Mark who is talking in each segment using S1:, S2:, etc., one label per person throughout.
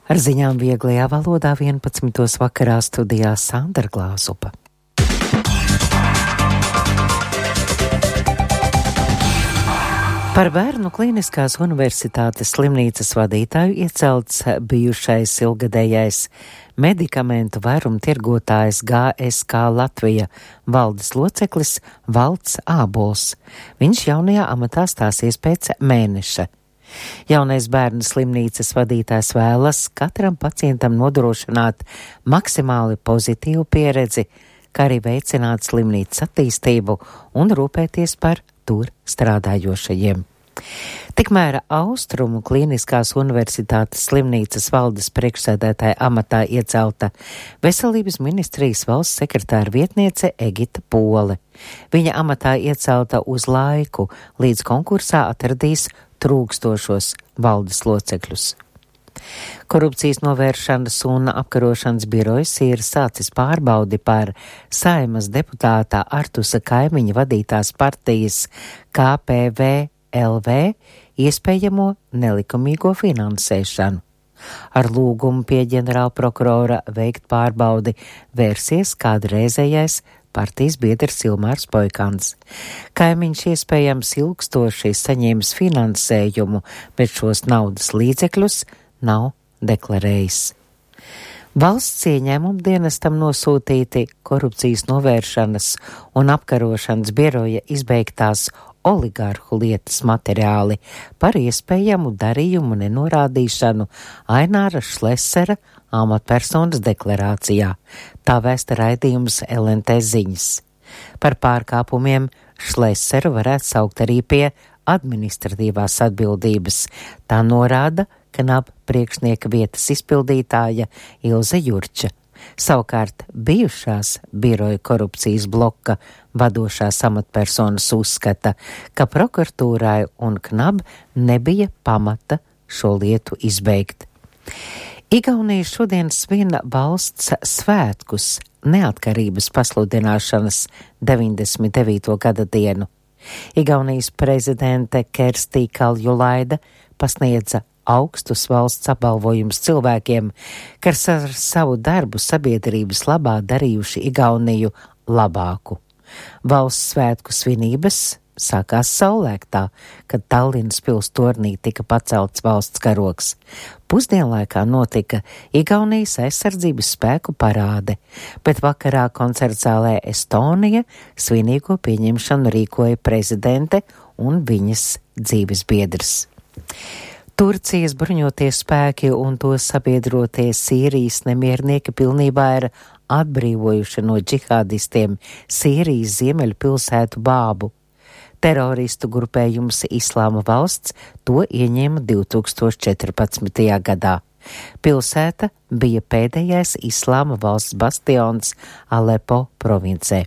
S1: Ar ziņām vieglajā valodā 11. vakarā studijā Sandra Glāzupa. Par Bērnu Kliniskās universitātes slimnīcas vadītāju iecelts bijušais ilgadējais medikamentu vairumtirgotājs GSK Latvija valdes loceklis Valds Ābols. Viņš jaunajā amatā stāsies pēc mēneša. Jaunais Bērnu slimnīcas vadītājs vēlas katram pacientam nodrošināt maksimāli pozitīvu pieredzi, kā arī veicināt slimnīcas attīstību un rūpēties par tur strādājošajiem. Tikmēr Austrumu Kliniskās universitātes slimnīcas valdes priekšsēdētāja amatā iecelta Veselības ministrijas valsts sekretāra vietniece Egita Pole. Viņa amatā iecelta uz laiku, līdz konkursā atradīs trūkstošos valdes locekļus. Korupcijas novēršanas un apkarošanas birojas ir sācis pārbaudi par Saeimas deputātā Artusa Kaimiņa vadītās partijas KPVLV iespējamo nelikumīgo finansēšanu. Ar lūgumu pie ģenerālprokurora veikt pārbaudi vērsies kādreizējais partijas biedrs Ilmārs Poikans. Kaimiņš iespējams ilgstoši saņēmis finansējumu, bet šos naudas līdzekļus nav deklarējis. Valsts ieņēmumu dienestam nosūtīti korupcijas novēršanas un apkarošanas biroja izbeigtās oligarhu lietas materiāli par iespējamu darījumu nenorādīšanu Aināra Šlesera amatpersonas deklarācijā. Tā vēsta raidījums LNT ziņas. Par pārkāpumiem Šleseru varētu saukt arī pie administratīvās atbildības. Tā norāda KNAB priekšnieka vietas izpildītāja Ilze Jurča. Savukārt bijušās biroja korupcijas bloka vadošās amatpersonas uzskata, ka prokuratūrai un KNAB nebija pamata šo lietu izbeigt. Igaunija šodien svin valsts svētkus neatkarības pasludināšanas 99. gada dienu. Igaunijas prezidente Kerstī Kaljulaida pasniedza augstus valsts apbalvojumus cilvēkiem, kas ar savu darbu sabiedrības labā darījuši Igauniju labāku. Valsts svētku svinības sākās saulēktā, kad Tallinas pils tornī tika pacelts valsts karogs. Pusdienlaikā notika Igaunijas aizsardzības spēku parāde, bet vakarā koncertzālē Estonija svinīgo pieņemšanu rīkoja prezidente un viņas dzīves biedrs. Turcijas bruņotie spēki un to sabiedrotie Sīrijas nemiernieki pilnībā ir atbrīvojuši no džihādistiem Sīrijas ziemeļu pilsētu Bābu. Teroristu grupējums Islāma valsts to ieņēma 2014. gadā. Pilsēta bija pēdējais Islāma valsts bastions Alepo provincē.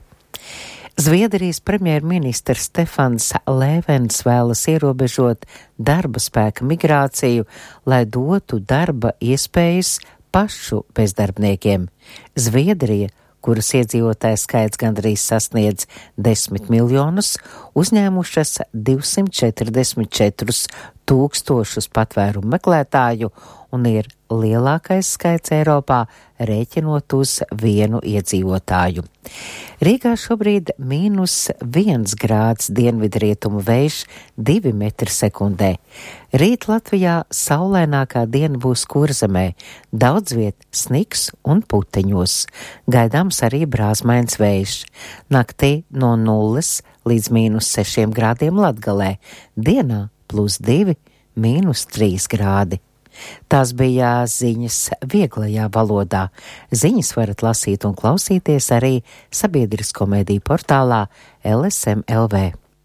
S1: Zviedrijas premjerministrs Stefans Lēvens vēlas ierobežot darba spēka migrāciju, lai dotu darba iespējas pašu bezdarbniekiem. Zviedrija, kuras iedzīvotājs skaits gandrīz sasniedz 10 miljonus, uzņēmušas 244 tūkstošus patvērumu meklētāju un ir lielākais skaits Eiropā, rēķinot uz vienu iedzīvotāju. Rīgā šobrīd -1 grāds, dienvidrietumu vējš 2 metri sekundē. Rīt Latvijā saulēnākā diena būs Kurzemē, daudz viet sniks un puteņos. Gaidāms arī brāzmains vējš. Naktī no 0 līdz -6 grādiem Latgalē, dienā +2, -3 grādi. Tās bija ziņas vieglajā valodā. Ziņas varat lasīt un klausīties arī sabiedrisko mediju portālā LSM LV.